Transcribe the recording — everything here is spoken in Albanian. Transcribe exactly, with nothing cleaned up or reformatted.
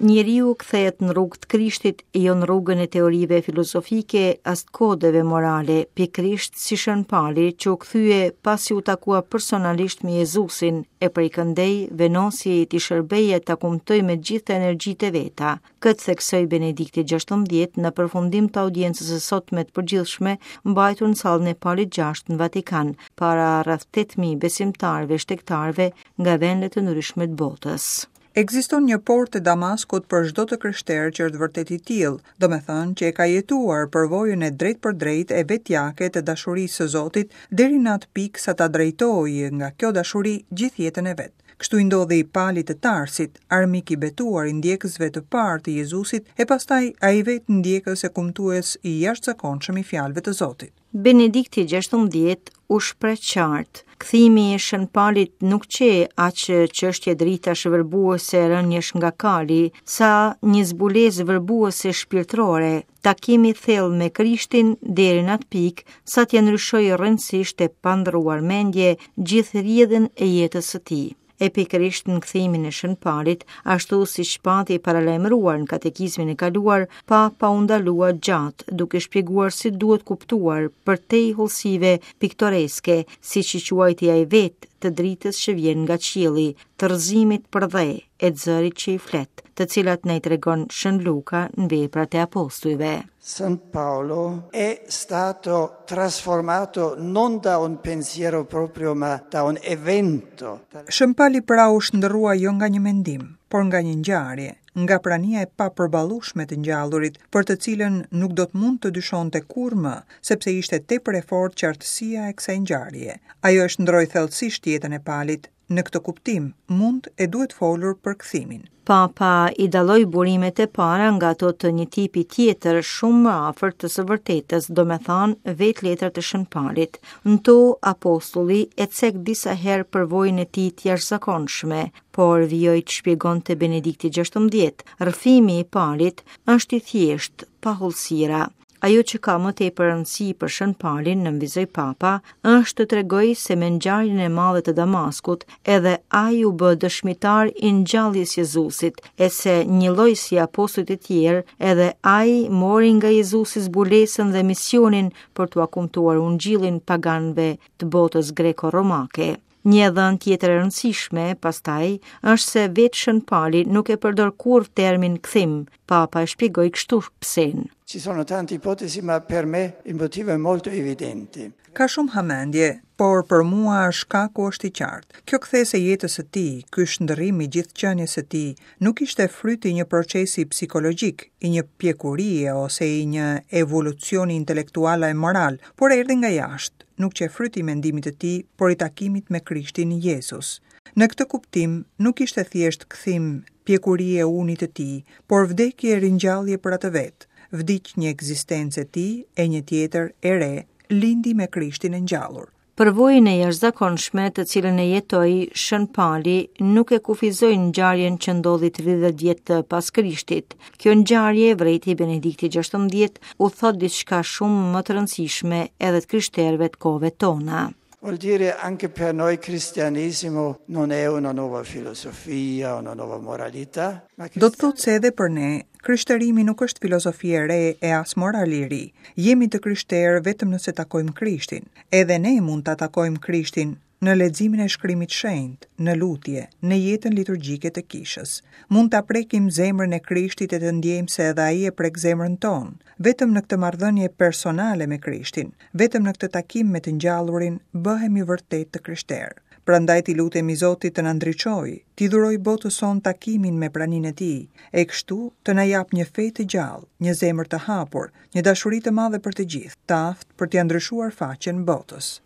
Njeriu kthehet në rrugë të Krishtit, jo në rrugën e teorive filozofike as të kodeve morale, pikërisht si Shën Pali që u kthye pasi u takua personalisht me Jezusin e prej këndej vendosi t'i shërbeje ta kumtojë me gjithë energjitë e veta. Këtë theksoi Benedikti gjashtëmbëdhjetë në përfundim të audiencës së sotme të përgjithshme mbajtur në sallën e Palit gjashtë në Vatikan, para rreth tetë mijë besimtarëve shtegtarëve nga vende të ndryshme të botës. Ekziston një portë e Damaskut për çdo të krishterë që është vërtet i tillë, domethënë që e ka jetuar përvojën e drejtpërdrejtë e vetjake të dashurisë së Zotit deri në atë pikë sa ta drejtojë nga kjo dashuri gjithë jetën e vet. Kështu i ndodhi Palit të Tarsit, armik i betuar i ndjekësve të parë të Jezusit, e pastaj ai vetë ndjekës e kumtues i jashtëzakonshëm i fjalëve të Zotit. Benedikti gjashtëmbëdhjetë u shpreh qartë, kthimi i Shën Palit nuk qe aq çështje dritash vërbuese rënjesh nga kali, sa një zbulesë vërbuese shpirtërore, takim i thellë me Krishtin deri në atë pikë sa t'ia ndryshojë rrënësisht e pa ndruar mendje gjithë rrjedhën e jetës së tij. E pikërisht në kthimin e Shën Palit, ashtu siç pati paralajmëruar në katekizmin e kaluar, Papa u ndalua gjatë, duke shpjeguar si duhet kuptuar përtej hollësive piktoreske, siç i quajti ai vetë, të dritës që vjen nga qielli, të rrëzimit për dhe e të zërit që i flet, të cilat na i tregon Shën Luka në veprat e apostujve. San Paolo è stato trasformato non da un pensiero proprio, ma da un evento. Shën Pali pra u shndërrua jo nga një mendim, por nga një ngjarje, nga prania e papërballueshme të ngjallurit, për të cilën nuk do të mund të dyshonte kurrë më, sepse ishte tepër e fortë qartësia e kësaj ngjarje. Ajo e shndroi thellësisht jetën e Palit. Në këtë kuptim, mund e duhet folur për kthimin. Papa i dalloi burimet e para nga ato të një tipi tjetër shumë më afër të së vërtetës, domethënë vetë letrat e Shën Palit. Në to apostulli e cek disa herë përvojën e tij të jashtëzakonshme, por vijoi të shpjegonte Benedikti gjashtëmbëdhjetë. Rrëfimi i Palit është i thjeshtë, pa hollësira. Ajo që ka më tepër rëndësi për Shën Palin, nënvizoi Papa, është të tregojë se me ngjarjen e madhe të Damaskut, edhe ai u bë dëshmitar i ngjalljes Jezusit, e se njëlloj si apostujt e tjerë, edhe ai mori nga Jezusi zbulesën dhe misionin për t'ua kumtuar ungjillin paganëve të botës greko-romake. Një dhënë tjetër e rëndësishme, pastaj, është se vetë Shën Pali nuk e përdor kurrë termin kthim. Papa e shpjegoi kështu psen. Ci sono tante ipotesi, ma per me il motivo è molto evidente. Ka shumë hamendje, por për mua shkaku është i qartë. Kjo kthesë e jetës së tij, ky shndërrim i gjithë qenies së tij, nuk ishte fryti i një procesi psikologjik, i një pjekurie ose i një evolucioni intelektual e moral, por erdhi nga jashtë, nuk qe fryti i mendimit të tij, por i takimit me Krishtin Jezus. Në këtë kuptim, nuk ishte thjesht kthim pjekurie e unit të tij, por vdekje e ringjallje për atë vetë. Vdiq një ekzistencë e tij e një tjetër e re, lindi me Krishtin e ngjallur. Përvojën e jashtëzakonshme të cilën e jetoi Shën Pali nuk e kufizoi ngjarjen që ndodhi tridhjetë vjet pas Krishtit. Kjo ngjarje, vrejti Benedikti gjashtëmbëdhjetë, u thot diçka shumë më të rëndësishme edhe të krishterëve të kohëve tona. Vuol dire anche per noi cristianesimo non è una nuova filosofia, una nuova moralità, ma Do të thotë se edhe për ne, krishterimi nuk është filozofi e re e as moral i ri. Jemi të krishterë vetëm nëse takojmë Krishtin. Edhe ne mund ta takojmë Krishtin në leximin e shkrimit shenjt, në lutje, në jetën liturgjike të kishës. Mund ta prekim zemrën e Krishtit e të ndjejmë se edhe ai e prek zemrën tonë. Vetëm në këtë marrëdhënie personale me Krishtin, vetëm në këtë takim me të ngjallurin, bëhemi vërtet të krishterë. Prandaj t'i lutemi Zotit të na ndriçojë, t'i dhurojë botës sonë takimin me praninë e tij, e kështu të na japë një fe të gjallë, një zemër të hapur, një dashuri të madhe për të gjithë, të aftë për t'ia ndryshuar faqen botës.